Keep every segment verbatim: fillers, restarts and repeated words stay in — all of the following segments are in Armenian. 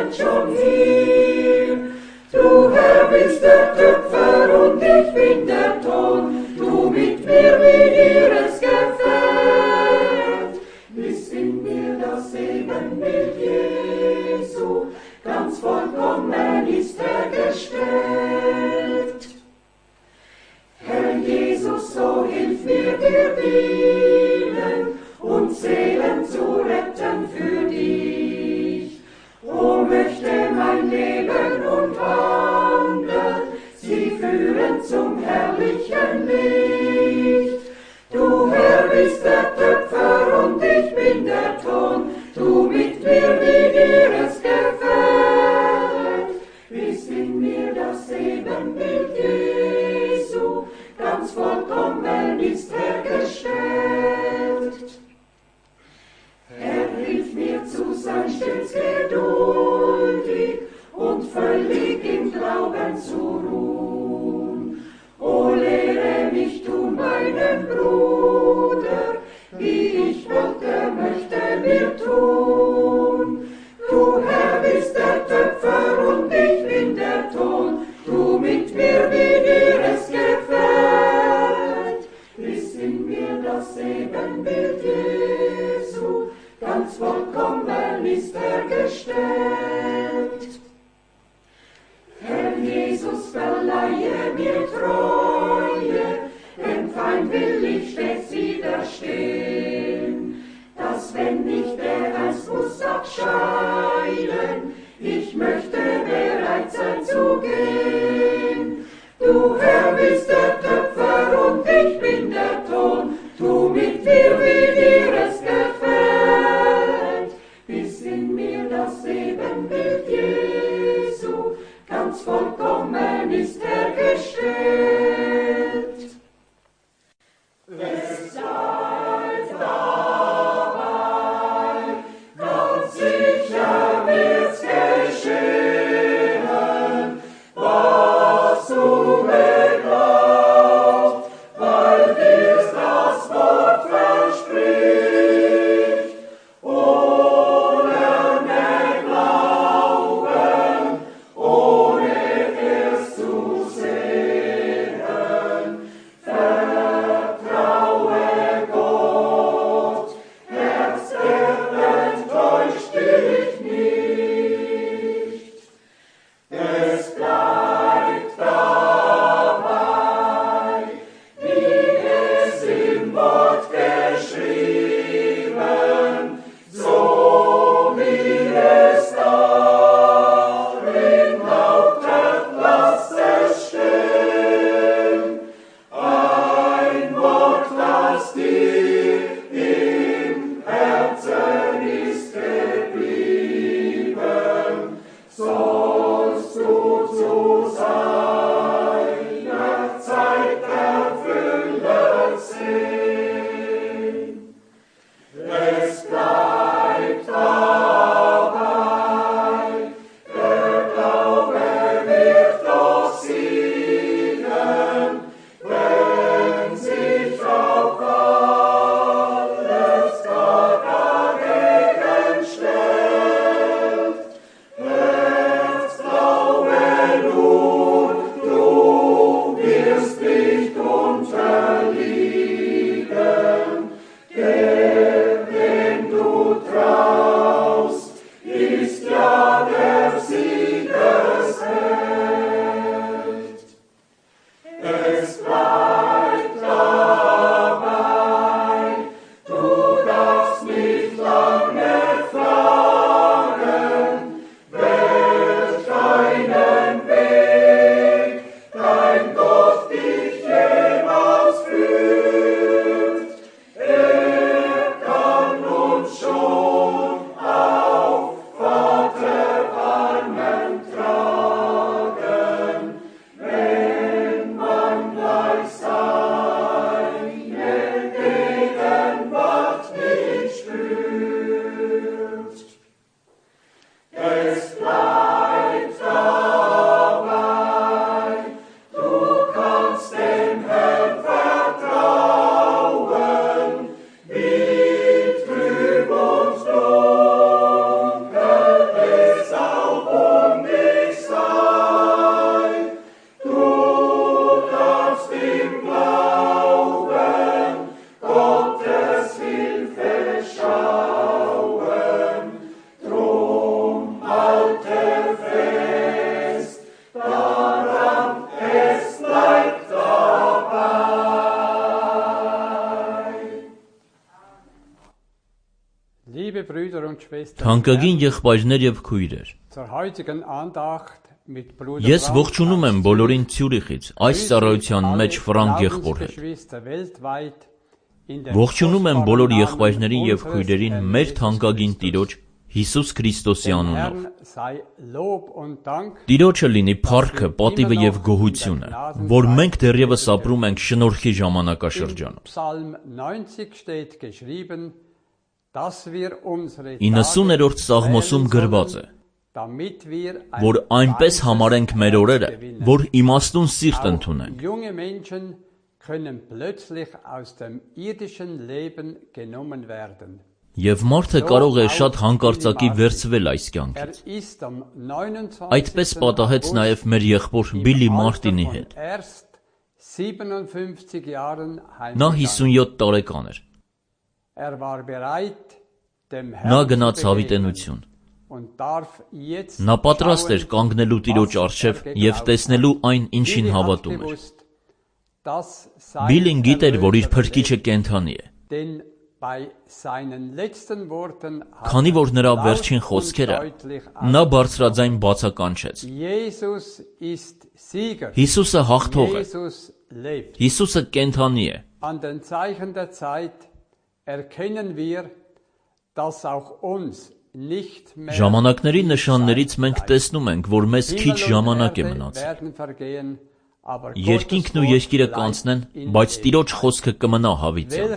sind schon hier. Du Herr bist der Töpfer und ich bin der Ton, du mit mir wie dir es gefällt. Ist in mir das Ebenbild Jesu, ganz vollkommen ist er gestellt. Herr Jesus, so hilf mir dir dienen und Seelen zu retten für dich. O möchte mein Leben und Wandel sie führen zum herrlichen Licht. Du Herr bist der Töpfer und ich bin der Ton, du mit mir wie dir es gefällt. Ist in mir das Ebenbild Jesu, ganz vollkommen ist er gestellt. Er hilft mir zu sein stets geduldig und völlig im Glauben zu ruhen. O lehre mich tun meinen Bruder, wie ich wollte, möchte mir tun. Du Herr bist der Töpfer und ich bin der Ton, du mit mir wie dir es gefällt. Ist in mir das Ebenbild Jesu, ganz vollkommen ist er gestellt. Herr Jesus, verleihe mir Treue, dem Feind will ich stets widerstehen, dass wenn nicht der einst muss abscheiden, ich möchte bereit sein zu gehen. Du Herr bist der Töpfer und ich bin der Ton, tu mit mir wie dir es gefällt. Bis in mir das Ebenbild Jesu, ganz vollkommen ist er gestellt. Es bleibt dabei, ganz sicher wird's geschehen, was du beglaubt, weil dir's das Wort verspricht. Ohne mehr Glauben, ohne es zu sehen, vertraue Gott, Herz, er enttäuscht dich nicht. Es bleibt dabei, wie es im Wort geschrieben, so wie es darin lautet, lasst es stehen. Ein Wort, das dir im Herzen ist geblieben, sollst du zu seiner Zeit erfüllt sehen. Es bleibt dabei, der Glaube wird doch siegen, wenn sich auch alles gar dagegen stellt. Herz, glaube nur, du wirst nicht unterliegen. Der, dem du traust, ist ja der Siegesheld. Es bleibt dabei, du darfst nicht lange fragen, welch einen Weg dein Gott dich jemals führt. Er kann uns schon auf Vater Թանկագին եղբայրներ եւ քույրեր, ես ողջունում եմ բոլորին Ցյուրիխից, այս ծառայության մեջ Ֆրանկ եղբոր հետ։ Ողջունում եմ բոլոր եղբայրներին եւ քույրերին մեր թանկագին Տիրոջ Հիսուս Քրիստոսի անունով։ Տիրոջը լինի փառքը, պատիվը եւ գոհությունը, որ մենք դեռևս ապրում ենք շնորհքի ժամանակաշրջանում։ իննսուներորդ Սաղմոսում գրված է, որ այնպես համարենք մեր օրերը, որ իմաստուն սիրտ ընդունենք։ Եվ մարդը կարող է շատ հանկարծակի վերցվել այս կյանքից։ Այդպես պատահեց նաև մեր եղբոր Բիլի Մարտինի հետ։ Նա հիսունյոթ տարեկան էր։ Նա գնաց հավիտենություն։ Նա պատրաստ էր կանգնելու Տիրոջ առջև և տեսնելու այն, ինչին հավատում էր։ Բիլին գիտեր, որ իր փրկիչը կենդանի է։ Քանի որ նրա վերջին խոսքերը, նա բարձրաձայն բացականչեց. Հիսուսը հաղթող է, Հիսուսը կենդանի է։ Ժամանակների նշաններից մենք տեսնում ենք, որ մեզ քիչ ժամանակ է մնացել։ Երկինքն ու երկիրը կանցնեն, բայց Տիրոջ խոսքը կմնա հավիտյան։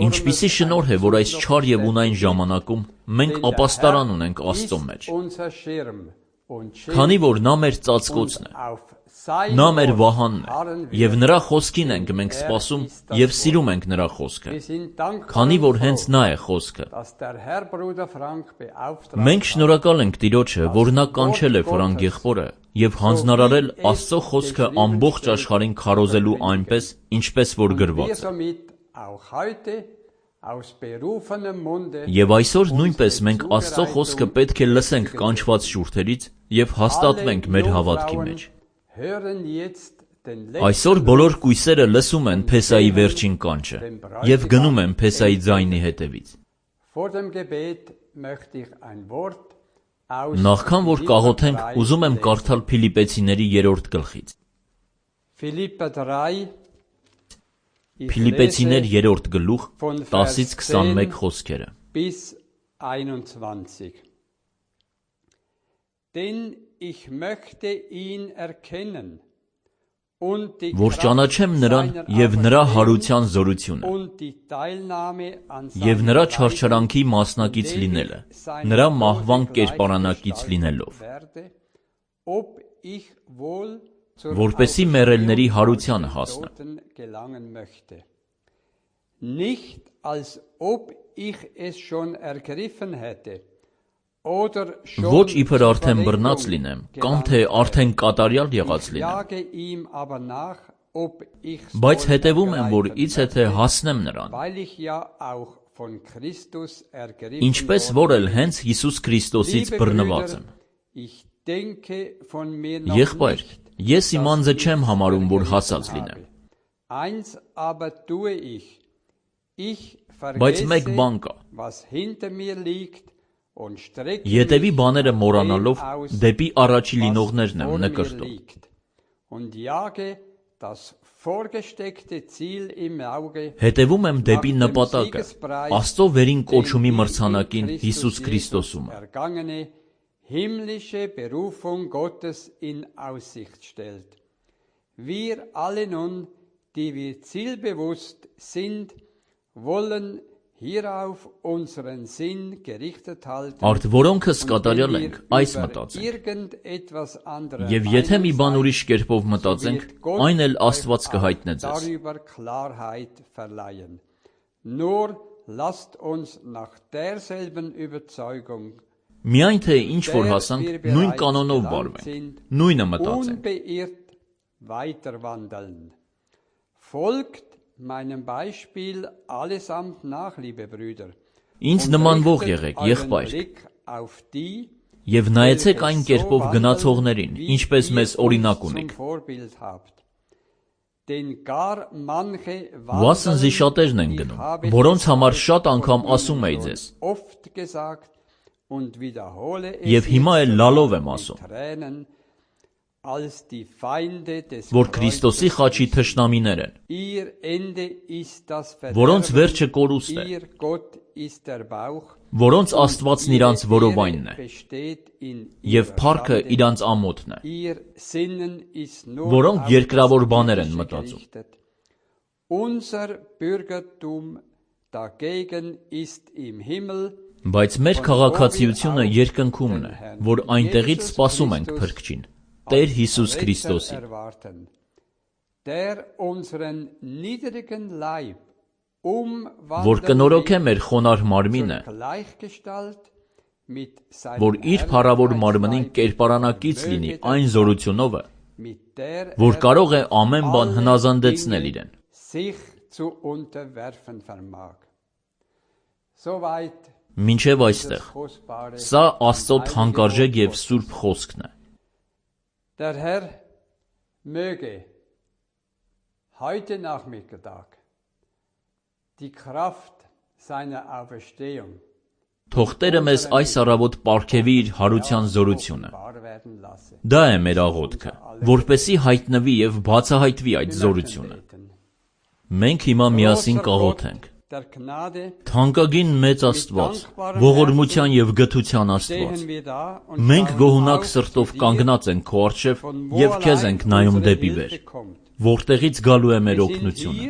Ինչպիսի շնորհ է, որ այս չար և ունայն ժամանակում մենք ապաստարան ունենք Աստծո մեջ։ Քանի որ նա մեր ծածկոցն է, նա մեր վահանն է, և նրա խոսքին ենք մենք սպասում և սիրում ենք նրա խոսքը, քանի որ հենց նա է խոսքը։ Մենք շնորհակալ ենք Տիրոջը, որ նա կանչել է Ֆրանկ եղբորը և հանձնարարել Աստծո խոսքը ամբողջ աշխարհին քարոզելու այնպես, ինչպես որ գրված է։ Եվ այսօր նույնպես մենք Աստծո խոսքը պետք է լսենք կանչված շուրթերից և հաստատվենք մեր հավատքի մեջ։ Այսօր բոլոր կույսերը լսում են Փեսայի վերջին կանչը և գնում են Փեսայի ձայնի հետևից։ Նախքան որ կաղոթենք, ուզում եմ կարդալ Փիլիպպեցիների երրորդ գլխից։ Փիլիպպեցիներ երրորդ գլուխ տասից քսանմեկ խոսքերը։ Որ ճանաչեմ նրան և նրա հարության զորությունը և նրա չարչարանքի մասնակից լինելը, նրա մահվան կերպարանակից լինելով, որպեսզի մեռելների հարությանը հասնեմ։ Ոչ իբր արդեն բռնած լինեմ, կամ թե արդեն կատարյալ եղած լինեմ, բայց հետևում եմ, որ իցե հասնեմ նրան, ինչպես որ էլ հենց Հիսուս Քրիստոսից բռնված եմ։ Եղբայր, ես իմ անձը չեմ համարում, որ հասած լինեմ։ Բայց մեկ բան կա. ետևի բաները մոռանալով դեպի առաջի լինողներն եմ նկրտում։ Հետևում եմ դեպի նպատակը, Աստծո վերին կոչումի մրցանակին Հիսուս Քրիստոսում։ Himmlische Berufung Gottes in Aussicht stellt. Wir alle nun, die wir zielbewusst sind, wollen hierauf unseren Sinn gerichtet halten. Արդ որոնքս կատարյալ ենք, այս մտածենք։ Եվ եթե մի բան ուրիշ կերպով մտածենք, այն էլ Աստված կհայտնե ձեզ։ Nur lasst uns nach derselben Überzeugung Միայն թե ինչ որ հասանք, նույն կանոնով վարվենք, նույնը մտածենք։ Ինձ նմանվող եղեք, եղբայր, և նայեցեք այն կերպով գնացողներին, ինչպես մեզ օրինակ ունիք։ Վասնզի շատերն են գնում, որոնց համար շատ անգամ ասում էի ձեզ, և հիմա էլ լալով եմ ասում, որ Քրիստոսի խաչի թշնամիներ են, որոնց վերջը կորուստ է, որոնց Աստվածն իրանց որովայնն է, և փառքը իրանց ամոթն է, որոնք երկրավոր բաներ են մտածում։ Բայց մեր քաղաքացիությունը երկնքումն է, որ այնտեղից սպասում ենք Փրկչին, Տեր Հիսուս Քրիստոսին, որ կնորոգե մեր խոնարհ մարմինը, որ իր փառավոր մարմնին կերպարանակից լինի այն զորությունով, որ կարող է ամեն բան հնազանդեցնել իրեն։ Մինչև այստեղ, սա Աստծո թանկարժեք և սուրբ խոսքն է։ Der Herr möge heute Nachmittag die Kraft seiner Auferstehung Թող Տերը մեզ այս առավոտ պարգևի իր հարության զորությունը։ Դա է մեր աղոթքը, որպեսզի հայտնվի և բացահայտվի այդ զորությունը։ Մենք հիմա միասին կաղոթենք։ Թանկագին մեծ Աստված, ողորմության և գթության Աստված, մենք գոհունակ սրտով կանգնած ենք քո առջև և քեզ ենք նայում դեպի վեր, որտեղից գալու է մեր օգնությունը։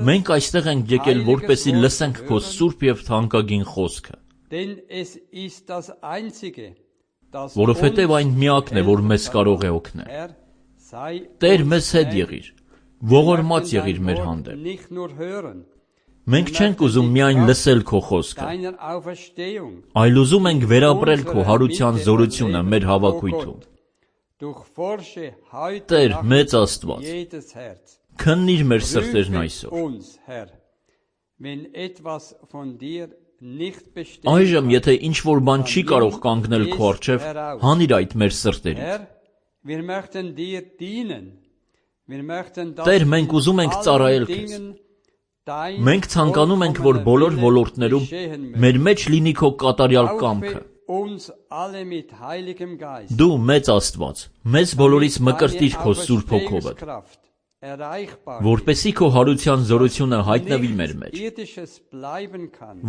Մենք այստեղ ենք եկել, որպեսզի լսենք քո սուրբ և թանկագին խոսքը, որովհետև այն միակն է, որ մեզ կարող է օգնել։ Տեր, մեզ հետ եղիր, ողորմած եղիր մեր հանդեպ։ Մենք չենք ուզում միայն լսել քո խոսքը, այլ ուզում ենք վերապրել քո հարության զորությունը մեր հավաքույթում։ Տեր, մեծ Աստված, քննիր մեր սրտերն այսօր։ Այժմ, եթե ինչ-որ բան չի կարող կանգնել քո առջև, հանիր այդ մեր սրտերից։ Տեր, մենք ուզում ենք ծառայել քեզ։ Մենք ցանկանում ենք, որ բոլոր ոլորտներում մեր մեջ լինի քո կատարյալ կամքը։ Դու, մեծ Աստված, մեզ բոլորից մկրտիր քո Սուրբ Հոգովդ, որպեսզի քո հարության զորությունը հայտնվի մեր մեջ,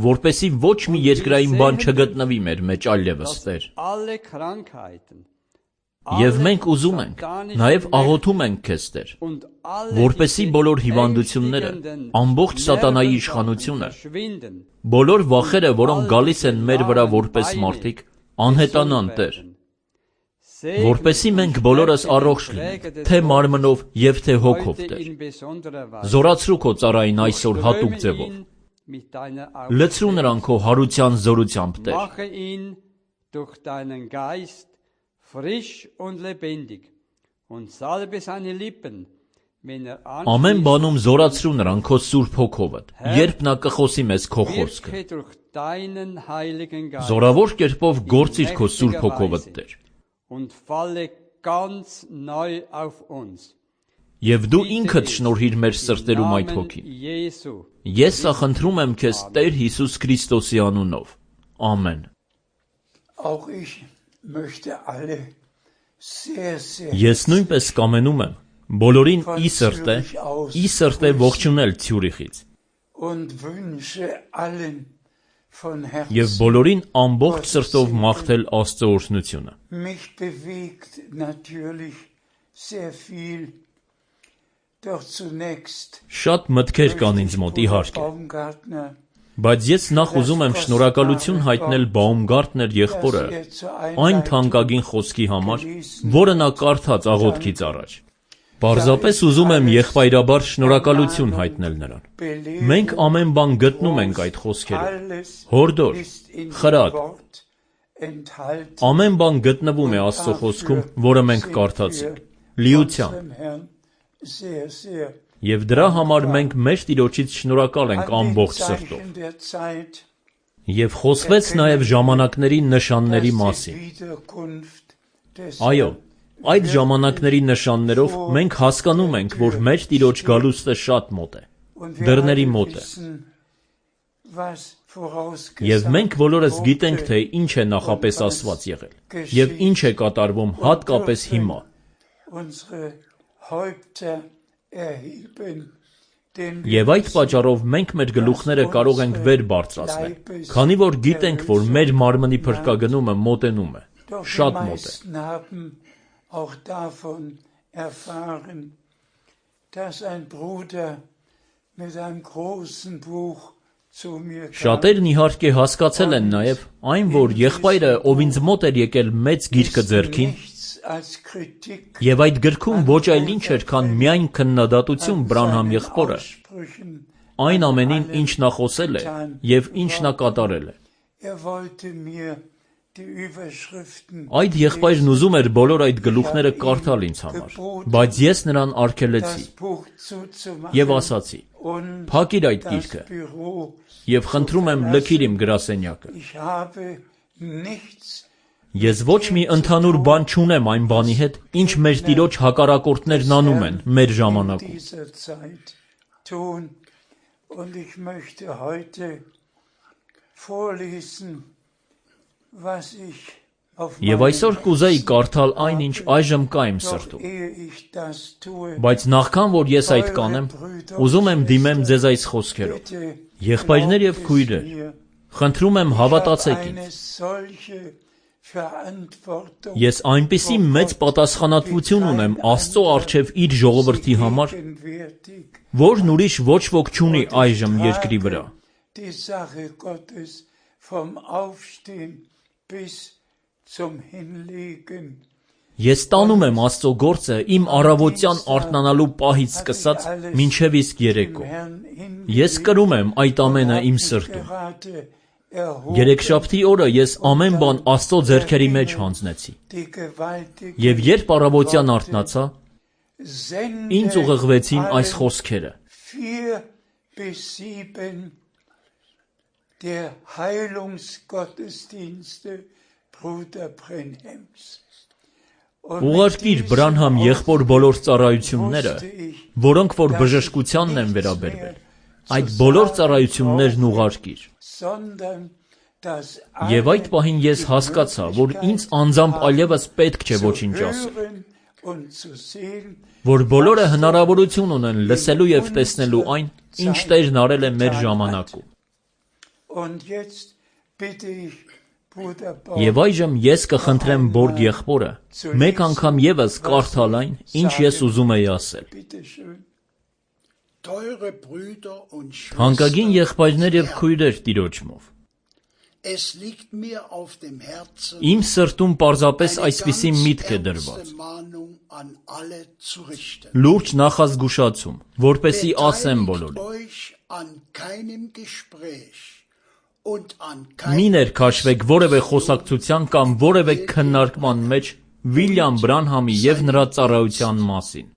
որպեսզի ոչ մի երկրային բան չգտնվի մեր մեջ այլևս, Տեր։ Եվ մենք ուզում ենք, նաև աղոթում ենք քեզ, Տեր, որպեսզի բոլոր հիվանդությունները, ամբողջ սատանայի իշխանությունը, բոլոր վախերը, որոնք գալիս են մեր վրա որպես մարդիկ, անհետանան, Տեր, որպեսզի մենք բոլորս առողջ լինենք, թե մարմնով և թե հոգով, Տեր։ Զորացրու քո ծառային այսօր հատուկ ձևով։ Լցրու նրան քո հարության զորությամբ, Տեր։ Ամեն բանում զորացրու նրան քո Սուրբ Հոգովդ, երբ նա կխոսի մեզ քո խոսքը։ Զորավոր կերպով գործիր քո Սուրբ Հոգովդ, Տեր։ Եվ դու ինքդ շնորհիր մեր սրտերում այդ հոգին։ Ես սա խնդրում եմ քեզ Տեր Հիսուս Քրիստոսի անունով։ Ամեն։ Ես նույնպես կամենում եմ բոլորին ի սրտե, ի սրտե ողջունել Ցյուրիխից։ Եվ բոլորին ամբողջ սրտով մաղթել Աստծո օրհնությունը։ Շատ մտքեր կան ինձ մոտ, իհարկե, բայց ես նախ ուզում եմ շնորհակալություն հայտնել Բաումգարտներ եղբորը այն թանկագին խոսքի համար, որը նա կարդաց աղոթքից առաջ։ Պարզապես ուզում եմ եղբայրաբար շնորհակալություն հայտնել նրան։ Մենք ամեն բան գտնում ենք այդ խոսքերում։ Հորդոր, խրատ, ամեն բան գտնվում է Աստծո խոսքում, որը մենք կարդացինք, լիությամբ։ Եվ դրա համար մենք մեր Տիրոջից շնորհակալ ենք ամբողջ սրտով։ Եվ խոսվեց նաև ժամանակների նշանների մասին։ Այո, Այդ ժամանակների նշաններով մենք հասկանում ենք, որ մեր Տիրոջ գալուստը շատ մոտ է, դռների մոտ է։ Եվ մենք բոլորս գիտենք, թե ինչ է նախապես ասված եղել, և ինչ է կատարվում հատկապես հիմա։ Եվ այդ պատճառով մենք մեր գլուխները կարող ենք վեր բարձրացնել, քանի որ գիտենք, որ մեր մարմնի փրկագնումը մոտենում է, շատ մոտ է։ Շատերն իհարկե հասկացել են նաև այն, որ եղբայրը, ով ինձ մոտ էր եկել մեծ գիրքը ձեռքին, և այդ գրքում ոչ այլ ինչ էր, քան միայն քննադատություն Բրանհամ եղբորը, այն ամենին, ինչ նա խոսել է և ինչ նա կատարել է։ Այդ եղբայրն ուզում էր բոլոր այդ գլուխները կարդալ ինձ համար, բայց ես նրան արգելեցի և ասացի. «Փակիր այդ գիրքը և խնդրում եմ լքիր իմ գրասենյակը։ Ես ոչ մի ընդհանուր բան չունեմ այն բանի հետ, ինչ մեր Տիրոջ հակառակորդներն անում են մեր ժամանակում»։ Եվ այսօր կուզեի կարդալ այն, ինչ այժմ կա իմ սրտում։ Բայց նախքան որ ես այդ կանեմ, ուզում եմ դիմեմ ձեզ այս խոսքերով. եղբայրներ և քույրեր, խնդրում եմ հավատացեք ինձ։ Ես այնպիսի մեծ պատասխանատվություն ունեմ Աստծո առջև իր ժողովրդի համար, որն ուրիշ ոչ ոք չունի այժմ երկրի վրա։ Ես տանում եմ Աստծո գործը իմ առավոտյան արթնանալու պահից սկսած մինչև իսկ երեկո։ Ես կրում եմ այդ ամենը իմ սրտում։ Երեքշաբթի օրը ես ամեն բան Աստծո ձեռքերի մեջ հանձնեցի։ Եվ երբ առավոտյան արթնացա, ինձ ուղղվեցին այս խոսքերը. Ուղարկիր Բրանհամ եղբոր բոլոր ծառայությունները, որոնք որ բժշկությանն են վերաբերվել, այդ բոլոր ծառայություններն ուղարկիր։ Եվ այդ պահին ես հասկացա, որ ինձ անձամբ այլևս պետք չէ ոչինչ ասել, որ բոլորը հնարավորություն ունեն լսելու և տեսնելու այն, ինչ Տերն արել է մեր ժամանակում։ Եվ այժմ ես կխնդրեմ Բորգ եղբորը մեկ անգամ ևս կարդալ այն, ինչ ես ուզում էի ասել։ Թանկագին եղբայրներ և քույրեր Տիրոջմով, իմ սրտում պարզապես այսպիսի միտք է դրված. լուրջ նախազգուշացում, որպեսզի ասեմ բոլորին. Մի ներքաշվեք որևէ խոսակցության կամ որևէ քննարկման մեջ Վիլյամ Բրանհամի և նրա ծառայության մասին։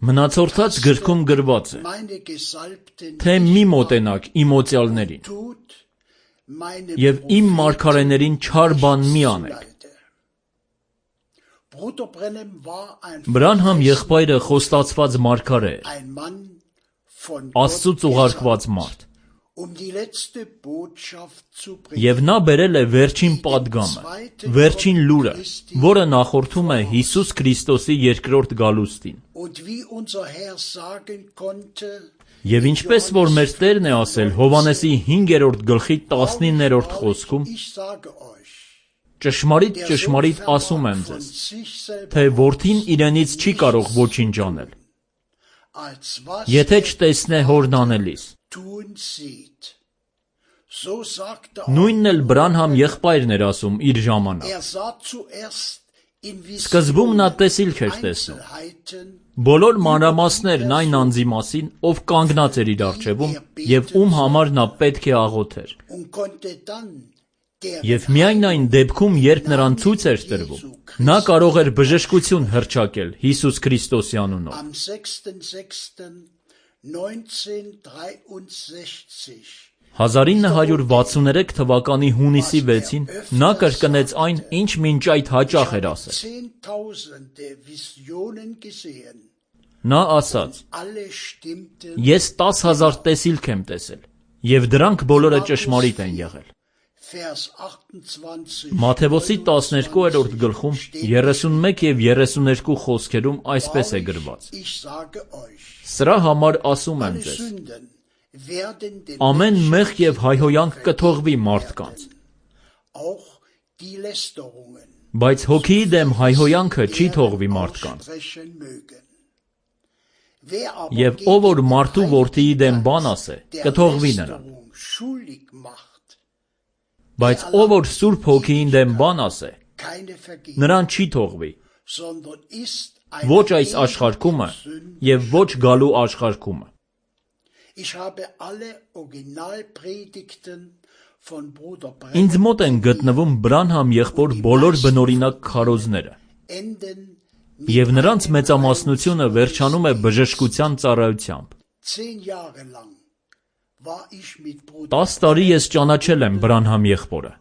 Մնացորդած գրքում գրված է, թե մի մոտենաք իմոցյալներին և իմ մարգարեներին չար բան մի անեք։ Բրանհամ եղբայրը խոստացված մարգարե էր, Աստծուց ուղարկված մարդ, և նա բերել է վերջին պատգամը, վերջին լուրը, որը նախորդում է Հիսուս Քրիստոսի երկրորդ գալուստին։ Եվ ինչպես որ մեր Տերն է ասել Հովհաննեսի հինգերորդ գլխի տասնիններորդ խոսքում, ճշմարիտ ճշմարիտ ասում եմ ձեզ, թե որդին իրենից չի կարող ոչինչ անել, եթե չտեսնե հորն անելիս։ Նույնն էլ Բրանհամ եղբայրն էր ասում իր ժամանակ։ Սկզբում նա տեսիլք էր տեսնում, բոլոր մանրամասներն այն անձի մասին, ով կանգնած էր իր առջևում և ում համար նա պետք է աղոթեր։ Եվ միայն այն դեպքում, երբ նրան ցույց էր տրվում, նա կարող էր բժշկություն հռչակել Հիսուս Քրիստոսի անունով։ հազար ինը հարյուր վաթսուներեք թվականի հունիսի վեցին նա կրկնեց այն, ինչ մինչ այդ հաճախ էր ասել։ Նա ասաց. Ես տաս հազար տեսիլք եմ տեսել, եւ դրանք բոլորը ճշմարիտ են եղել։ Մատթեոսի տասներկուերորդ գլխում երեսունմեկ եւ երեսուներկու խոսքերում այսպես է գրված. Սրա համար ասում եմ ձեզ. ամեն մեղք եւ հայհոյանք կթողվի մարդկանց, բայց հոգիի դեմ հայհոյանքը չի թողվի մարդկանց։ Եվ ով որ մարդու որդիի դեմ բան ասե, կթողվի նրան։ Բայց ով որ Սուրբ Հոգիին դեմ բան ասե, նրան չի թողվի, ոչ այս աշխարհքումը եւ ոչ գալու աշխարհքումը։ Ինձ մոտ են գտնվում Բրանհամ եղբոր բոլոր բնօրինակ քարոզները, եւ նրանց մեծամասնությունը վերջանում է բժշկության ծառայությամբ։ Տաս տարի ես ճանաչել եմ Բրանհամ եղբորը,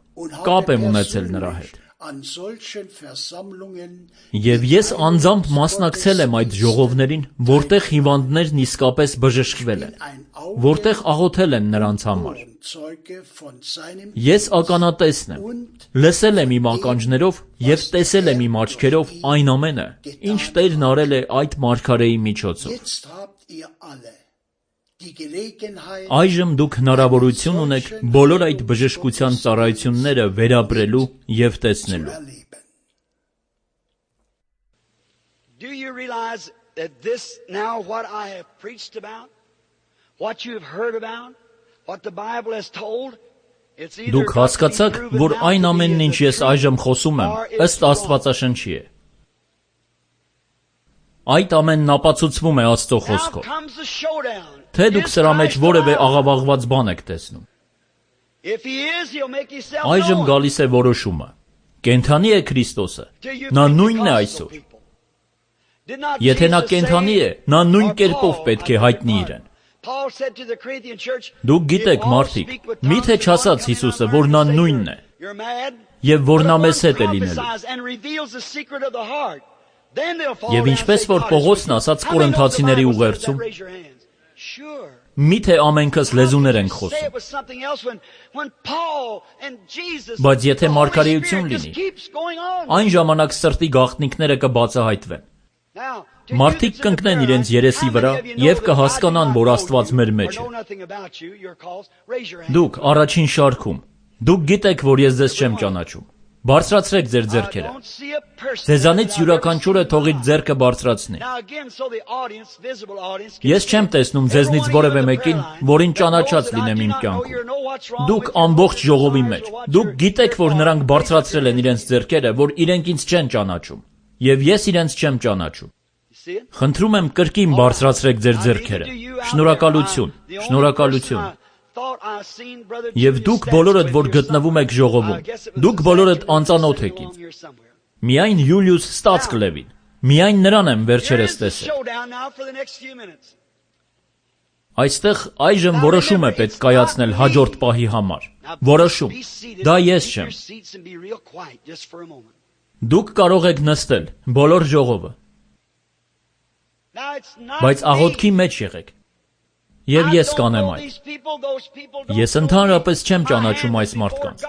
կապ եմ ունեցել նրա հետ։ Եվ ես անձամբ մասնակցել եմ այդ ժողովներին, որտեղ հիվանդներն իսկապես բժշկվել են, որտեղ աղոթել են նրանց համար։ Ես ականատեսն եմ, լսել եմ իմ ականջներով եւ տեսել եմ իմ աչքերով այն ամենը, ինչ Տերն արել է այդ մարգարեի միջոցով։ Այժմ դուք հնարավորություն ունեք բոլոր այդ բժշկության ծառայությունները վերապրելու եւ տեսնելու։ Do you realize that this now what I have preached about, what you have heard about, what the Bible has told, it's either Դուք հասկացաք, որ այն ամենն ինչ ես այժմ խոսում եմ, ըստ Աստվածաշնչի է։ Այդ ամենն ապացուցվում է Աստծո խոսքով։ Թե դուք սրա մեջ որևէ աղավաղված բան եք տեսնում։ Այժմ գալիս է որոշումը։ Կենդանի է Քրիստոսը, նա նույնն է այսօր։ Եթե նա կենդանի է, նա նույն կերպով պետք է հայտնի իրեն։ Դուք գիտեք, մարդիկ, միթե չասաց Հիսուսը, որ նա նույնն է, եւ որ նա մեզ հետ է լինելու։ Եվ ինչպես որ Պողոսն ասաց Կորինթացիների ուղերձում, միթե ամենքս լեզուներ ենք խոսում։ Բայց եթե մարգարեություն լինի, այն ժամանակ սրտի գաղտնիքները կբացահայտվեն։ Մարդիկ կընկնեն իրենց երեսի վրա եւ կհասկանան, որ Աստված մեր մեջ է։ Դուք առաջին շարքում, դուք գիտեք, որ ես ձեզ չեմ ճանաչում։ Բարձրացրեք ձեր ձեռքերը։ Ձեզանից յուրաքանչյուրը թող իր ձեռքը բարձրացնի։ Ես չեմ տեսնում ձեզնից որևէ մեկին, որին ճանաչած լինեմ իմ կյանքում։ Դուք ամբողջ ժողովի մեջ, դուք գիտեք, որ նրանք բարձրացրել են իրենց ձեռքերը, որ իրենք ինձ չեն ճանաչում, եւ ես իրենց չեմ ճանաչում։ Խնդրում եմ կրկին բարձրացրեք ձեր ձեռքերը։ Շնորհակալություն, շնորհակալություն։ Եվ դուք բոլորդ, որ գտնվում եք ժողովում, դուք բոլորդ անծանոթ եք ինձ։ Միայն Յուլիուս Ստացկլևին, միայն նրան եմ վերջերս տեսել։ Այստեղ այժմ որոշում է պետք կայացնել հաջորդ պահի համար։ Որոշում։ Դա ես չեմ։ Դուք կարող եք նստել, բոլոր ժողովը։ Բայց աղոթքի մեջ եղեք։ Եվ ես կանեմ այդ։ Ես ընդհանրապես չեմ ճանաչում այս մարդկանց։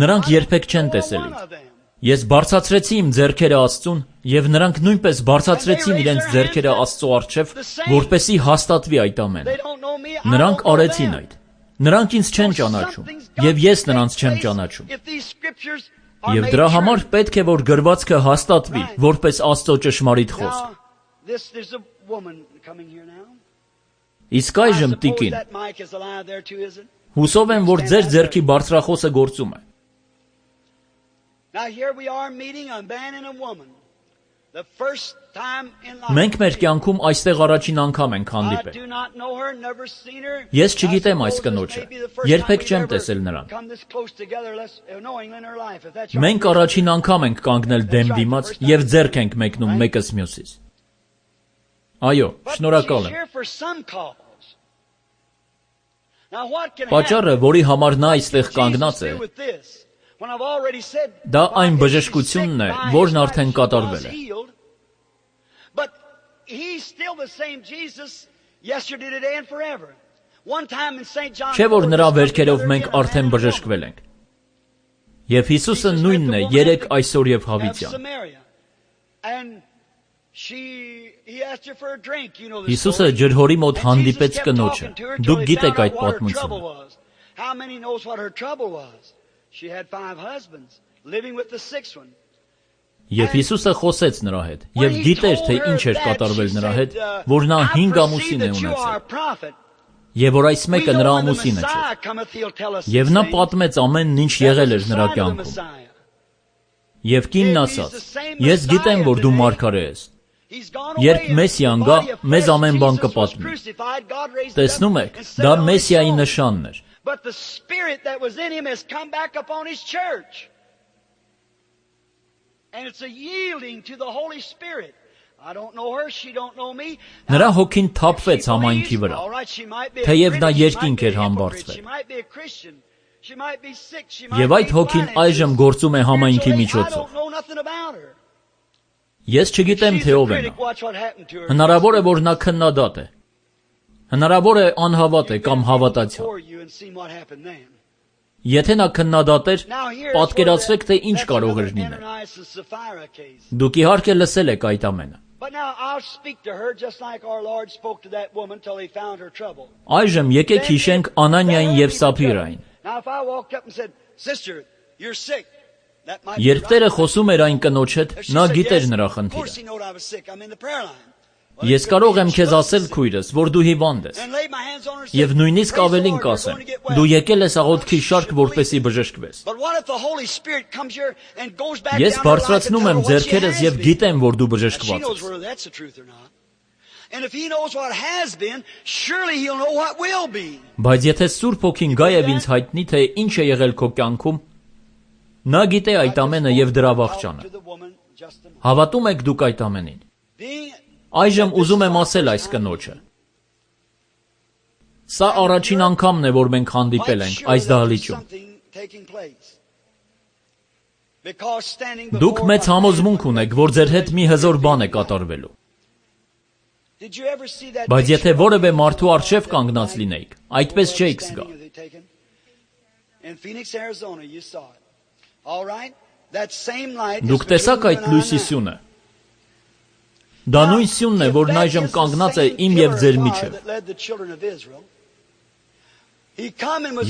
Նրանք երբեք չեն տեսել ինձ։ Ես բարձրացրեցի իմ ձեռքերը Աստծուն, եւ նրանք նույնպես բարձրացրեցին իրենց ձեռքերը Աստծո առջև, որպեսզի հաստատվի այդ ամենը։ Նրանք արեցին այդ։ Նրանք ինձ չեն ճանաչում, եւ ես նրանց չեմ ճանաչում։ Եվ դրա համար պետք է որ գրվածքը հաստատվի, որպես Աստծո ճշմարիտ խոսք։ Իսկ այժմ տիկին, հուսով եմ, որ ձեր ձեռքի բարձրախոսը գործում է։ Մենք մեր կյանքում այստեղ առաջին անգամ ենք հանդիպել։ Ես չգիտեմ այս կնոջը, երբեք չեմ տեսել նրան։ Մենք առաջին անգամ ենք կանգնել դեմ դիմաց եւ ձեռք ենք մեկնում մեկս մյուսից։ Այո, շնորհակալ եմ։ Պատճառը, որի համար նա այստեղ կանգնած է, դա այն բժշկությունն է, որն արդեն կատարվել է։ Չէ՞ որ նրա վերքերով մենք արդեն բժշկվել ենք։ Եվ Հիսուսը նույնն է երեկ, այսօր եւ հավիտյան։ Հիսուսը ջրհորի մոտ հանդիպեց կնոջը։ Դուք գիտեք այդ պատմությունը։ Եվ Հիսուսը խոսեց նրա հետ, եւ գիտեր, թե ինչ էր կատարվել նրա հետ, որ նա հինգ ամուսին է ունեցել, եւ որ այս մեկը նրա ամուսինը չէ։ Եվ նա պատմեց ամենն, ինչ եղել էր նրա կյանքում։ Եվ կինն ասաց. «Ես գիտեմ, որ դու մարգարե ես։ Երբ Մեսիան գա, մեզ ամեն բան կպատմի»։ Տեսնում եք, դա Մեսիայի նշանն էր։ Նրա հոգին թափվեց համայնքի վրա, թեև նա երկինք էր համբարձվել։ Եվ այդ հոգին այժմ գործում է համայնքի միջոցով։ Ես չգիտեմ, թե ով է նա։ Հնարավոր է, որ նա քննադատ է։ Հնարավոր է անհավատ է կամ հավատացյալ։ Եթե նա քննադատ էր, պատկերացրեք, թե ինչ կարող էր լինել։ Դուք իհարկե լսել եք այդ ամենը։ Այժմ եկեք հիշենք Անանիային եւ Սափիրային։ Երբ Տերը խոսում էր այն կնոջ հետ, նա գիտեր նրա խնդիրը։ Ես կարող եմ քեզ ասել, քույրս, որ դու հիվանդ ես։ Եվ նույնիսկ ավելին կասեմ, դու եկել ես աղոթքի շարք, որպեսզի բժշկվես։ Ես բարձրացնում եմ ձեռքերս եւ գիտեմ, որ դու բժշկված ես։ Բայց եթե Սուրբ Հոգին գա եւ ինձ հայտնի, թե ինչ է եղել քո կյանքում, նա գիտե այդ ամենը եւ դրա վախճանը։ Հավատում եք դուք այդ ամենին։ Այժմ ուզում եմ ասել այս կնոջը. սա առաջին անգամն է, որ մենք հանդիպել ենք այս դահլիճում։ Դուք մեծ համոզմունք ունեք, որ ձեր հետ մի հզոր բան է կատարվելու։ Բայց եթե որևէ մարդու առջև կանգնած լինեիք, այդպես չէիք զգա։ Դուք տեսաք այդ լույսի սյունը։ Դա նույն սյունն է, որն այժմ կանգնած է իմ եւ ձեր միջև։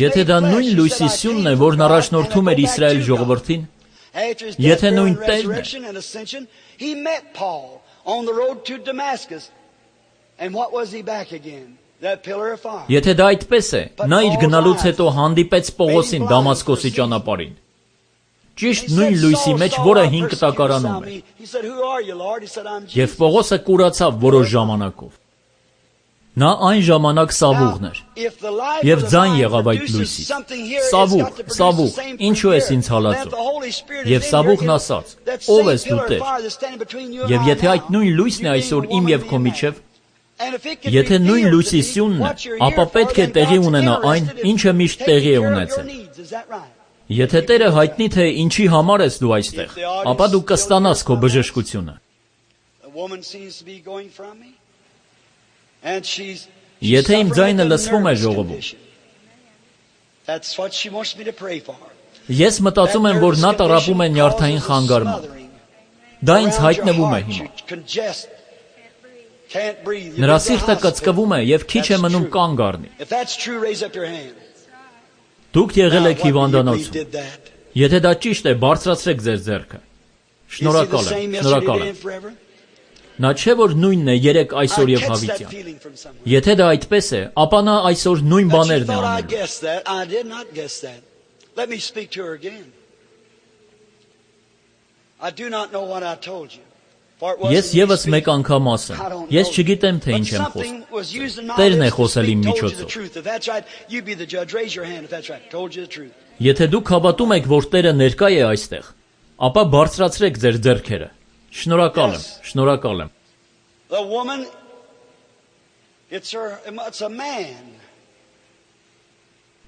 Եթե դա նույն լույսի սյունն է, որն առաջնորդում էր Իսրայել ժողովրդին, եթե նույն Տերն է, եթե դա այդպես է, նա իր գնալուց հետո հանդիպեց Պողոսին Դամասկոսի ճանապարհին։ Ճիշտ նույն լույսի մեջ, որը հինգ տակարանում է։ Եվ Պողոսը կուրացավ որոշ ժամանակով։ Նա այն ժամանակ Սավուղն էր։ Եվ ձայն եղավ այդ լույսից. «Սավուղ, Սավուղ, ինչու ես ինձ հալածում»։ Եվ Սավուղն ասաց. «Ո՞վ ես դու, Տեր»։ Եվ եթե այդ նույն լույսն է այսօր իմ եւ քո միջև, եթե նույն լույսի սյունն է, ապա պետք է տեղի ունենա այն, ինչը միշտ տեղի է ունեցել։ Եթե Տերը հայտնի, թե ինչի համար ես դու այստեղ, ապա դու կստանաս քո բժշկությունը։ Եթե իմ ձայնը լսվում է ժողովում, ես մտածում եմ, որ նա տառապում է նյարդային խանգարմամբ։ Դա ինձ հայտնվում է հիմա։ Նրա սիրտը կծկվում է եւ քիչ է մնում կանգ առնի։ Դուք եղել եք հիվանդանոցում։ Եթե դա ճիշտ է, բարձրացրեք ձեր ձեռքը։ Շնորհակալ եմ, շնորհակալ եմ։ Նա չէ որ նույնն է երեք, այսօր եւ հավիտյան։ Եթե դա այդպես է, ապա նա այսօր նույն բաներն է անում։ Ես եւս մեկ անգամ ասեմ, ես չգիտեմ, թե ինչ եմ խոսում։ Տերն է խոսել իմ միջոցով։ Եթե դուք հավատում եք, որ Տերը ներկա է այստեղ, ապա բարձրացրեք ձեր ձեռքերը։ Շնորհակալ եմ, շնորհակալ եմ։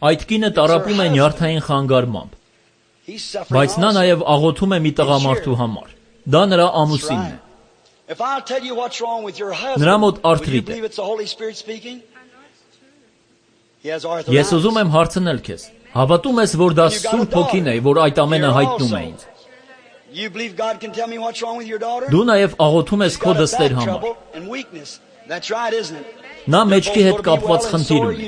Այդ կինը տառապում է նյարդային խանգարմամբ, բայց նա նաև աղոթում է մի տղամարդու համար։ Դա նրա ամուսինն է։ Նրա մոտ արթրիտ է։ Ես ուզում եմ հարցնել քեզ, հավատում ես, որ դա Սուրբ Հոգին է, որ այդ ամենը հայտնում է ինձ։ Դու նաև աղոթում ես քո դստեր համար։ Նա մեջքի հետ կապված խնդիր ունի։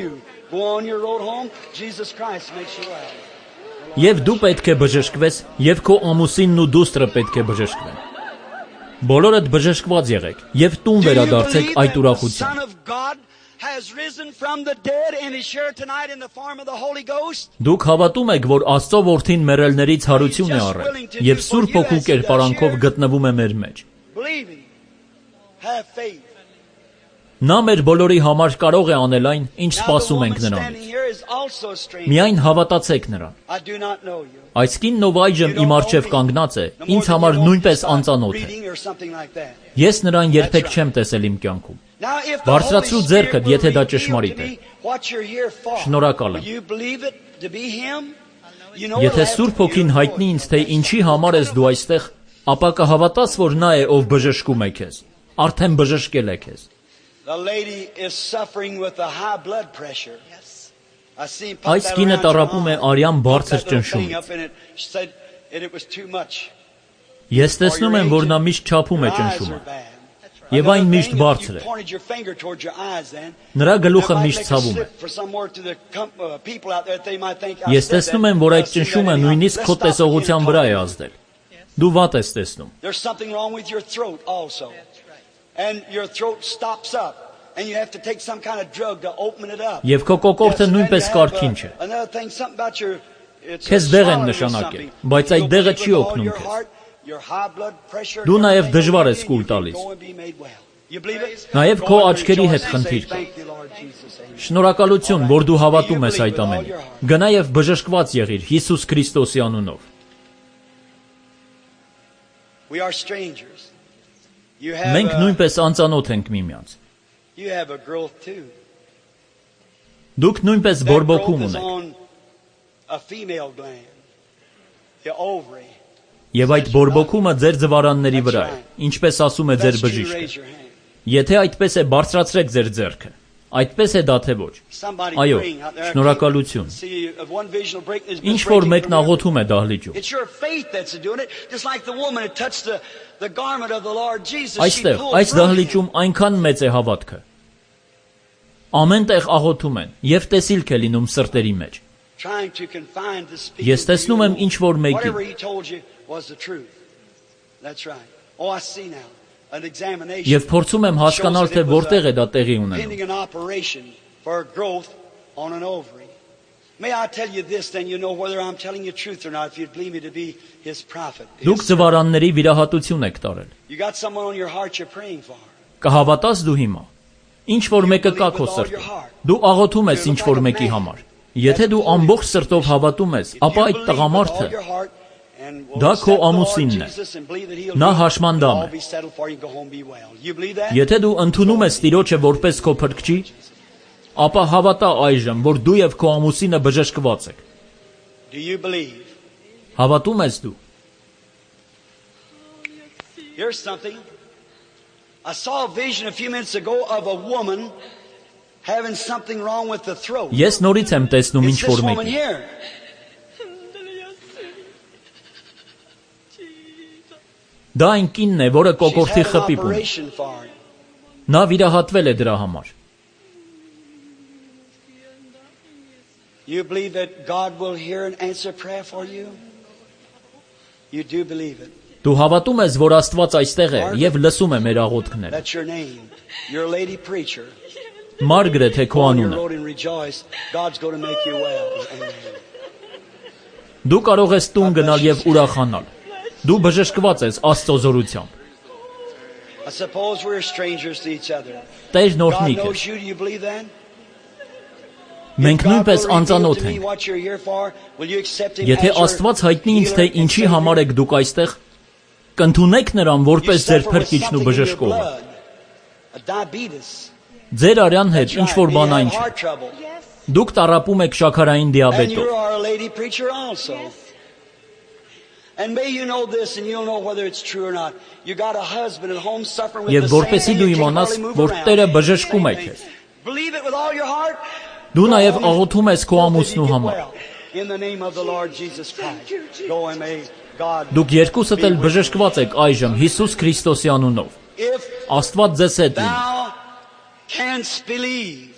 Եվ դու պետք է բժշկվես, եւ քո ամուսինն ու դուստրը պետք է բժշկվեն։ Բոլորդ բժշկված եղեք եւ տուն վերադարձեք այդ ուրախությամբ։ Դուք հավատում եք, որ Աստծո որդին մեռելներից հարություն է առել եւ Սուրբ Հոգու կերպարանքով գտնվում է մեր մեջ։ Նա մեր բոլորի համար կարող է անել այն, ինչ սպասում ենք նրանից։ Միայն հավատացեք նրան։ Այս կինն, ով այժմ իմ առջև կանգնած է, ինձ համար նույնպես անծանոթ է։ Ես նրան երբեք չեմ տեսել իմ կյանքում։ Բարձրացրու ձեռքդ, եթե դա ճշմարիտ է։ Շնորհակալ եմ։ Եթե Սուրբ Հոգին հայտնի ինձ, թե ինչի համար ես դու այստեղ, ապա կհավատաս, որ նա է, ով բժշկում է քեզ։ Արդեն բժշկել է քեզ։ Այս կինը տառապում է արյան բարձր ճնշումից։ Ես տեսնում եմ, որ նա միշտ չափում է ճնշումը։ Եվ այն միշտ բարձր է։ Նրա գլուխը միշտ ցավում է։ Ես տեսնում եմ, որ այդ ճնշումը նույնիսկ քո տեսողության վրա է ազդել։ Դու վատ ես տեսնում։ Եվ քո կոկորդը նույնպես կարգին չէ։ Քեզ դեղ են նշանակել, բայց այդ դեղը չի օգնում քեզ։ Դու նաև դժվար ես կուլ տալիս։ Նաև քո աչքերի հետ խնդիր կա։ Շնորհակալություն, որ դու հավատում ես այդ ամենին։ Գնա եւ բժշկված եղիր Հիսուս Քրիստոսի անունով։ Մենք նույնպես անծանոթ ենք միմյանց։ Դուք նույնպես բորբոքում ունեք։ Եվ այդ բորբոքումը ձեր ձվարանների վրա է, ինչպես ասում է ձեր բժիշկը։ Եթե այդպես է, բարձրացրեք ձեր ձեռքը։ Այդպես է դա թե ոչ։ Այո, շնորհակալություն։ Ինչ որ մեկն աղոթում է դահլիճում։ Այստեղ, այս դահլիճում այնքան մեծ է հավատքը։ Ամեն տեղ աղոթում են եւ տեսիլք է լինում սրտերի մեջ։ Ես տեսնում եմ ինչ որ մեկին։ Եվ փորձում եմ հասկանալ, թե որտեղ է դա տեղի ունենում։ Դուք ձվարանների վիրահատություն եք տարել։ Կհավատաս դու հիմա։ Ինչ որ մեկը կա քո սրտում։ Դու աղոթում ես ինչ որ մեկի համար։ Եթե դու ամբողջ սրտով հավատում ես, ապա այդ տղամարդը դա քո ամուսինն է։ Նա հաշմանդամ է։ Եթե դու ընդունում ես Տիրոջը որպես քո փրկչի, ապա հավատա այժմ, որ դու եւ քո ամուսինը բժշկված եք։ Հավատում ես դու։ Here's something. I saw a vision a few minutes ago of a woman having something wrong with the throat. Ես նորից եմ տեսնում ինչ որ մեկի։ Դա այն կինն է, որը կոկորդի խփիպ ունի։ Նա վիրահատվել է դրա համար։ You believe that God will hear and answer prayer for you? You do believe it. Դու հավատում ես, որ Աստված այստեղ է եւ լսում է մեր աղոթքները։ That's your name. You're a lady preacher. Մարգրետ է քո անունը։ God's going to make you well. Դու կարող ես տուն գնալ եւ ուրախանալ։ Դու բժշկված ես Աստծո զորությամբ։ I suppose we're strangers to each other. Տերն օրհնի քեզ։ Մենք նույնպես անծանոթ ենք։ Եթե Աստված հայտնի ինձ, թե ինչի համար եք դուք այստեղ, կընդունեք նրան որպես ձեր փրկիչն ու բժշկողը։ Ձեր արյան հետ ինչ որ բան այն չէ։ Դուք տառապում եք շաքարային And դիաբետով։ you are a lady preacher also. And may you know this, and you'll know whether it's true or not. You got a husband at home suffering with Եվ the same որպեսի thing. դու You can't իմանաս, hardly move որ around. Տերը բժշկում է քեզ։ Believe it with all your heart. Դու նաև աղոթում ես քո Hope that ամուսնու you get համար։ well. In the name of the Lord Jesus Christ. Go and may God. Դուք երկուսդ էլ բժշկված եք այժմ Հիսուս Քրիստոսի անունով։ If Աստված ձեզ հետ լինի։ thou canst believe,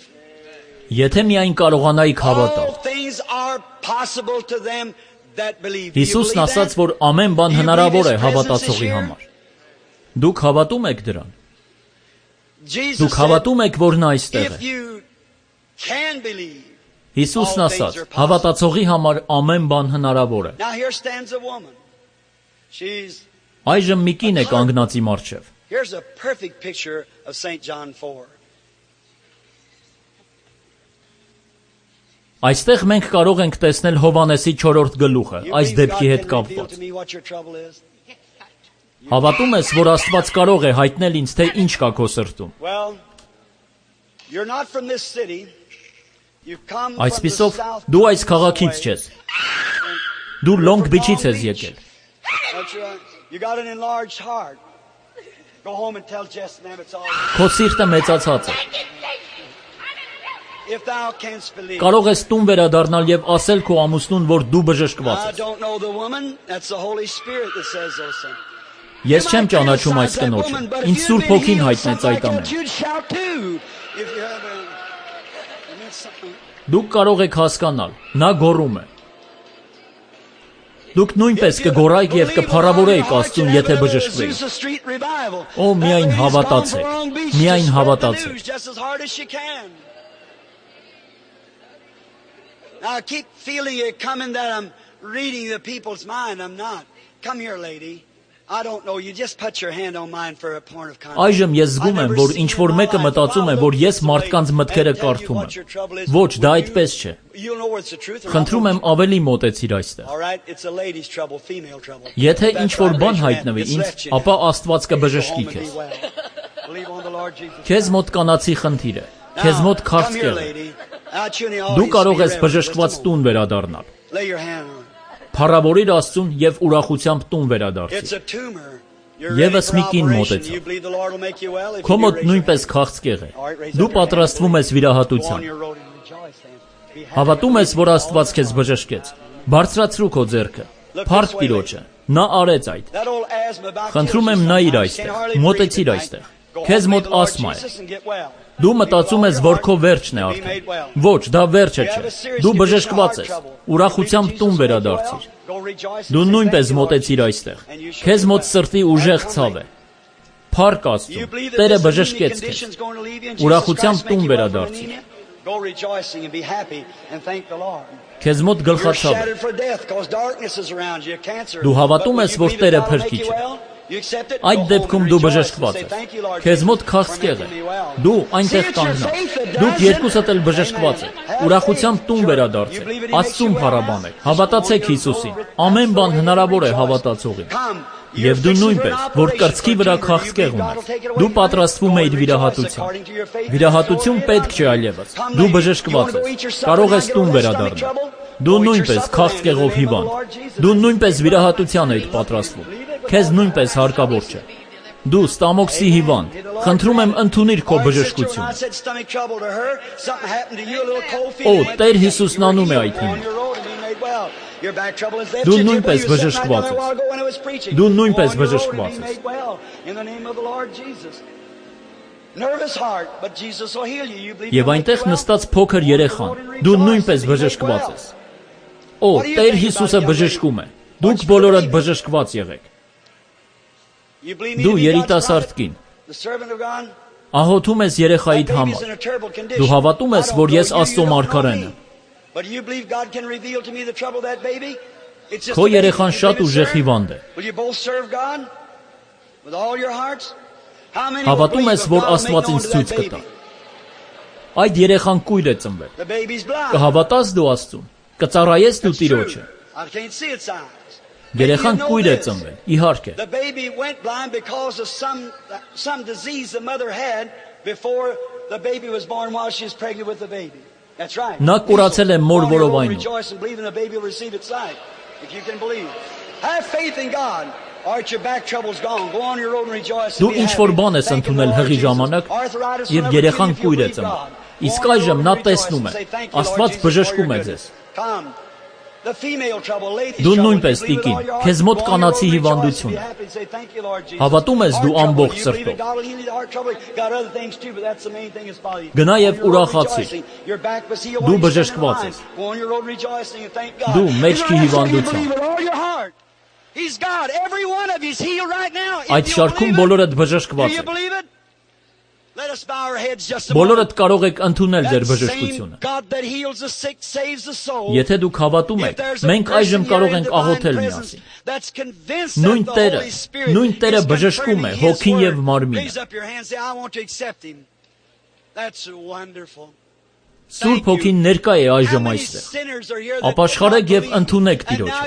Եթե միայն կարողանայիք հավատալ։ all things are possible to them that believe. Do you Հիսուսն believe ասաց, that? որ ամեն բան Do you հնարավոր believe է His presence հավատացողի is here? համար։ Դուք հավատում եք դրան։ Jesus Դուք said, հավատում եք, որ նա այստեղ if է։ you can believe. Հիսուսն ասաց, հավատացողի համար ամեն բան հնարավոր է։ Now here stands a woman. She's Այժմ մի կին է կանգնած իմ առջև։ Here's a perfect picture of Saint John four. Այստեղ մենք կարող ենք տեսնել Հովանեսի չորրորդ գլուխը, You այս believe God դեպքի հետ can reveal կապված։ to me what your trouble is? Հավատում ես, որ Աստված կարող է հայտնել ինձ, թե ինչ կա քո սրտում։ Well, you're not from this city. You've come from the Այսպիսով, south. դու այս քաղաքից չես։ Դու Լոնգ Բիչից ես եկել։ That's right. You got an enlarged heart. Go home and tell Jess and them it's all right. Քո սիրտը մեծացած է։ If thou canst believe. Կարող ես տուն վերադառնալ եւ ասել քո ամուսնուն, որ դու բժշկված I ես։ don't know the woman. That's the Holy Spirit that says those things. Ես չեմ ճանաչում այս կնոջը։ Ինձ Սուրբ Հոգին հայտնեց այդ ամենը։ Դուք կարող եք հասկանալ, նա գոռում է։ Դուք նույնպես կգոռայիք եւ կփառավորեիք Աստծուն, եթե բժշկվեիք։ Օ, միայն հավատացեք, միայն հավատացեք։ Now I keep feeling it coming that I'm reading the people's mind. I'm not. Come here, lady. I don't know. You just put your hand on mine for a point of contact. Այժմ ես զգում եմ, որ ինչ որ մեկը մտածում է, որ ես մարդկանց մտքերը կարդում եմ։ Ոչ, դա այդպես չէ։ You'll know what's the truth. Խնդրում եմ ավելի մոտեցիր այստեղ։ All right, it's a lady's trouble, female trouble. Եթե ինչ որ բան Raise your hand. հայտնվի It's ինձ, left you now. ապա Աստված Go կբժշկի home and be քեզ։ well. Believe on the Lord Jesus. Քեզ մոտ կանացի խնդիր է։ Քեզ Now, մոտ come here, քաղցկեղ է։ lady. Out you in the Դու audience, կարող be ես reverent. բժշկված Just a տուն վերադառնալ։ moment. Lay your hand on it. Փառավորիր Աստծուն եւ ուրախությամբ տուն It's վերադարձիր։ a tumor. You're Եվս ready մի for կին operation. մոտեցավ։ You believe the Lord will make you well if Քո you do մոտ raise your նույնպես hand. քաղցկեղ է։ All right, raise Դու up your hand. պատրաստվում ես Go on վիրահատության։ your road and rejoice then. Be happy. Հավատում ես, որ Աստված քեզ բժշկեց։ Բարձրացրու քո ձեռքը։ Փառք Տիրոջը։ Նա արեց այդ։ That old asthma about Խնդրում kills եմ you նայիր sometimes. այստեղ, Can't hardly մոտեցիր breathe at այստեղ։ night. Go Քեզ home, մոտ believe the Lord ասմա է։ Jesus and get well. Դու մտածում ես, որ քո վերջն է արդեն։ Ոչ, դա վերջը չէ։ Դու բժշկված ես։ Ուրախությամբ տուն վերադարձիր։ Դու նույնպես մոտեցիր այստեղ։ Քեզ մոտ սրտի ուժեղ ցավ է։ Փառք Աստծուն։ Տերը բժշկեց քեզ։ Ուրախությամբ տուն վերադարձիր։ Go rejoicing and be happy and thank the Lord. Քեզ մոտ You're գլխացավ է։ shattered for death because darkness is around you, cancer. Դու հավատում But ես, will որ you believe Տերը that God will make փրկիչ you է։ well? You accept it? Այդ Go home դեպքում and դու rejoice and բժշկված say, ես։ "Thank you, Lord Քեզ մոտ Jesus, քաղցկեղ for է։ making me well." Դու See, այնտեղ it's your կանգնա։ faith that Դուք does it. երկուսդ էլ բժշկված եք։ Ուրախությամբ տուն վերադարձեք։ Աստծուն փառաբանեք։ Հավատացեք Հիսուսին։ Ամեն բան հնարավոր է հավատացողին։ Come. Եվ դու նույնպես, որ կրծքի վրա քաղցկեղ ունես, դու պատրաստվում ես վիրահատության։ Վիրահատություն պետք չէ այլևս։ Դու բժշկված ես։ Կարող ես տուն վերադառնալ։ Դու նույնպես քաղցկեղով հիվանդ։ Դու նույնպես վիրահատության ես պատրաստվում։ Քեզ նույնպես հարկավոր չէ։ Դու ստամոքսի հիվանդ։ Խնդրում եմ ընդունիր քո բժշկությունը։ Օ, Տեր Հիսուսն անում է այդ հիմա։ Դու նույնպես բժշկված ես։ Դու նույնպես բժշկված ես։ Եվ այնտեղ նստած փոքր երեխան։ Դու նույնպես բժշկված ես։ Օ, Տեր Հիսուսը բժշկում է։ Դուք բոլորդ բժշկված եղեք։ Դու երիտասարդ կին։ Ահոթում ես երեխայիդ համար։ Դու հավատում ես, որ ես Աստծո մարգարեն եմ։ Քո երեխան շատ ուժեղ հիվանդ է։ Հավատում ես, որ Աստված ինձ ցույց կտա։ Այդ երեխան կույր է ծնվել։ Կհավատաս դու Աստծուն։ Կծառայես դու Տիրոջը։ Երեխան կույր է ծնվել, իհարկե։ The baby went blind because of some some disease the mother had before the baby was born while she was pregnant with the baby. Նա կուրացել է մոր որովայնով։ Դու ինչ-որ բան ես ընդունել հղի ժամանակ և երեխան կույր է ծնվել։ Իսկ այժմ նա տեսնում է, Աստված բժշկում է ձեզ։ Դու նույնպես տիկին, քեզ մոտ կանացի հիվանդություն է։ Հավատում ես դու ամբողջ սրտով։ Գնա և ուրախացիր։ Դու բժշկված ես։ Դու մեջքի հիվանդությամբ։ Այդ շարքում բոլորդ բժշկված եք։ Բոլորդ կարող եք ընդունել ձեր բժշկությունը։ Եթե դուք հավատում եք, մենք այժմ կարող ենք աղոթել միասին։ Նույն Տերը, նույն Տերը բժշկում է հոգին և մարմինը։ Սուրբ Հոգին ներկա է այժմ այստեղ։ Ապաշխարեք և ընդունեք Տիրոջը։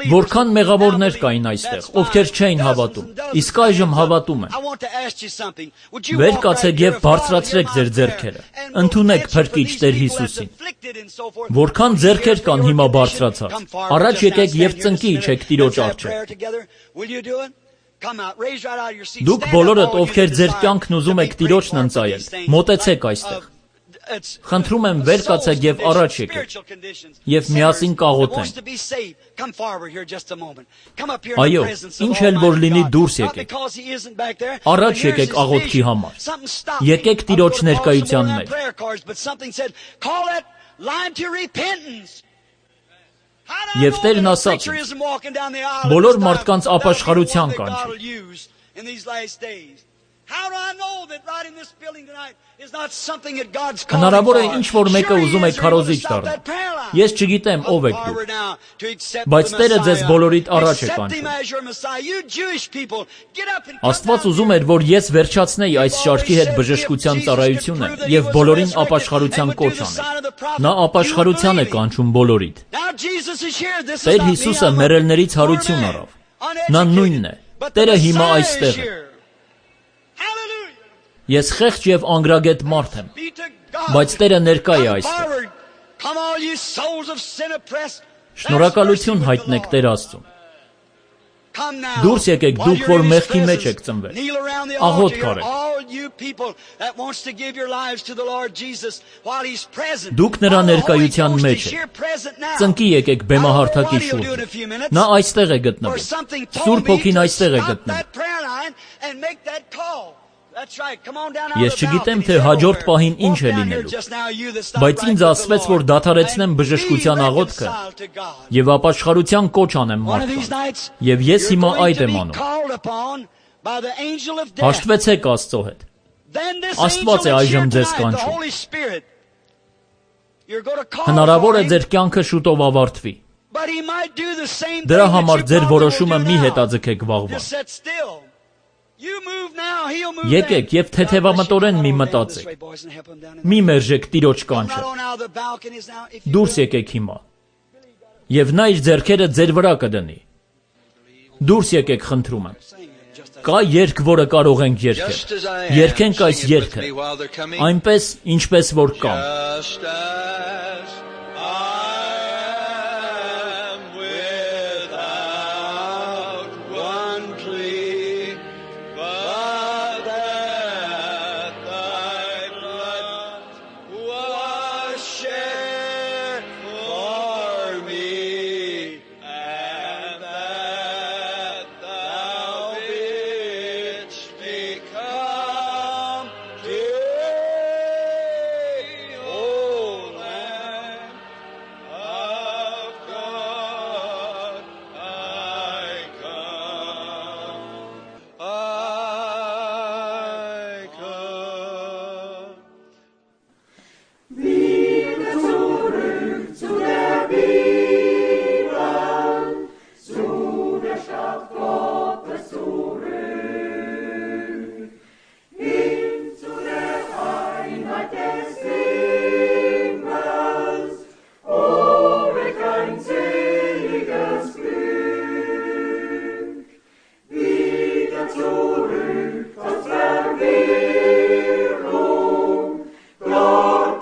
Որքան մեղավորներ կային այստեղ, ովքեր չէին հավատում, իսկ այժմ հավատում են։ Վեր կացեք և բարձրացրեք ձեր ձեռքերը։ Ընդունեք Փրկիչ Տեր Հիսուսին։ Որքան ձեռքեր կան հիմա բարձրացած, առաջ եկեք և ծնկի իջեք Տիրոջ առջև։ Դուք բոլորդ, ովքեր ձեր կյանքն ուզում եք Տիրոջն ընծայել, մոտեցեք այստեղ։ Խնդրում եմ վեր կացեք և առաջ եկեք, և միասին կաղոթենք։ Այո, ինչ էլ որ լինի, դուրս եկեք։ Առաջ եկեք աղոթքի համար։ Եկեք Տիրոջ ներկայության մեջ։ Եվ Տերն ասաց ինձ. բոլոր մարդկանց ապաշխարության կանչի։ Հնարավոր է ինչ-որ մեկը ուզում է քարոզիչ դառնալ։ Ես չգիտեմ ով եք դուք, բայց Տերը ձեզ բոլորիդ առաջ է կանչում։ Աստված ուզում էր, որ ես վերջացնեի այս շարքի հետ բժշկության ծառայությունը և բոլորին ապաշխարության կոչ անել։ Նա ապաշխարության է կանչում բոլորիդ։ Տեր Հիսուսը մեռելներից հարություն առավ։ Նա նույնն է։ Տերը հիմա այստեղ է։ Ես խեղճ և անգրագետ մարդ եմ, բայց Տերը ներկա է այստեղ։ Շնորհակալություն հայտնեք Տեր Աստծուն։ Դուրս եկեք դուք, որ մեղքի մեջ եք ծնվել։ Աղոթք արեք։ Դուք նրա ներկայության մեջ եք։ Ծնկի եկեք բեմահարթակի շուրջը։ Նա այստեղ է գտնվում։ Սուրբ Հոգին այստեղ է գտնվում։ Ես չգիտեմ, թե հաջորդ պահին ինչ է լինելու, բայց ինձ ասվեց, որ դադարեցնեմ բժշկության աղոթքը և ապաշխարության կոչ անեմ մարդկանց, և ես հիմա այդ եմ անում։ Հաշտվեցեք Աստծո հետ։ Աստված է այժմ ձեզ կանչում։ Հնարավոր է ձեր կյանքը շուտով ավարտվի։ Դրա համար ձեր որոշումը մի հետաձգեք վաղվա։ Եկեք և թեթևամտորեն մի մտածեք։ Մի մերժեք Տիրոջ կանչը։ Դուրս եկեք հիմա։ Եվ նա իր ձեռքերը ձեր վրա կդնի։ Դուրս եկեք, խնդրում եմ։ Կա երգ, որը կարող ենք երգել։ Երգենք այս երգը, այնպես, ինչպես որ կամ։ Lord,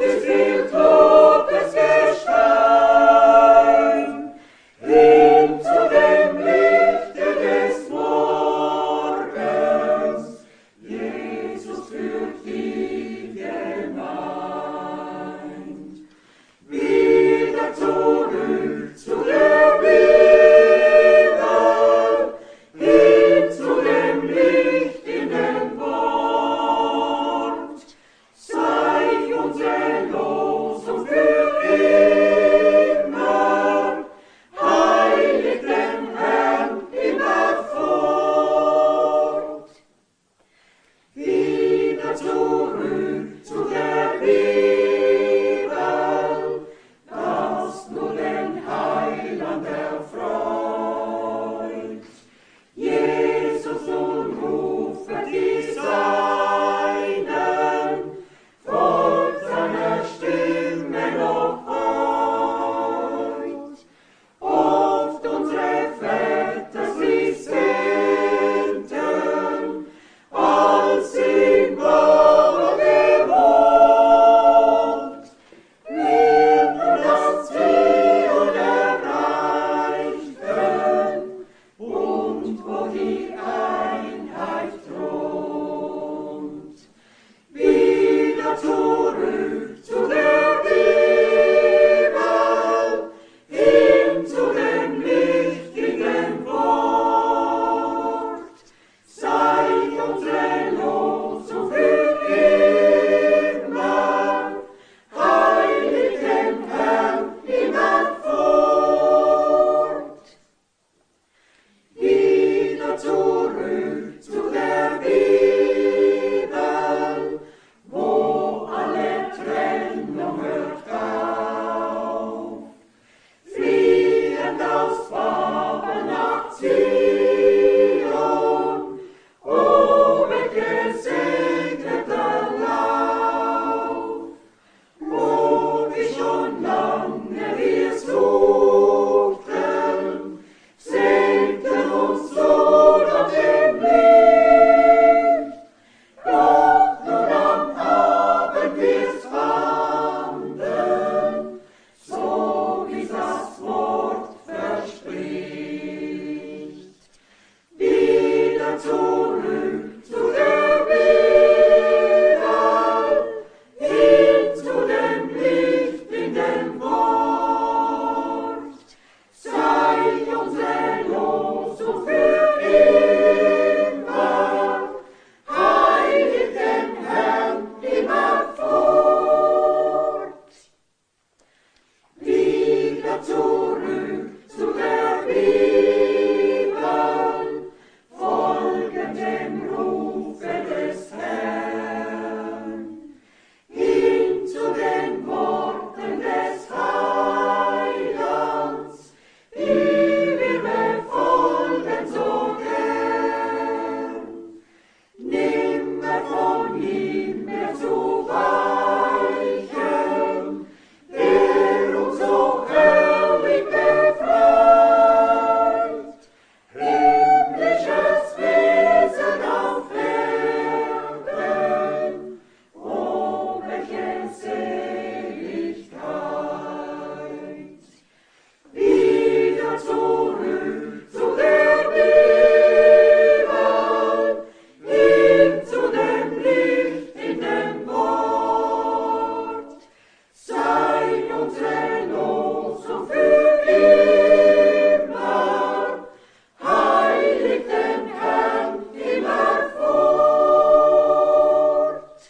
erzogen.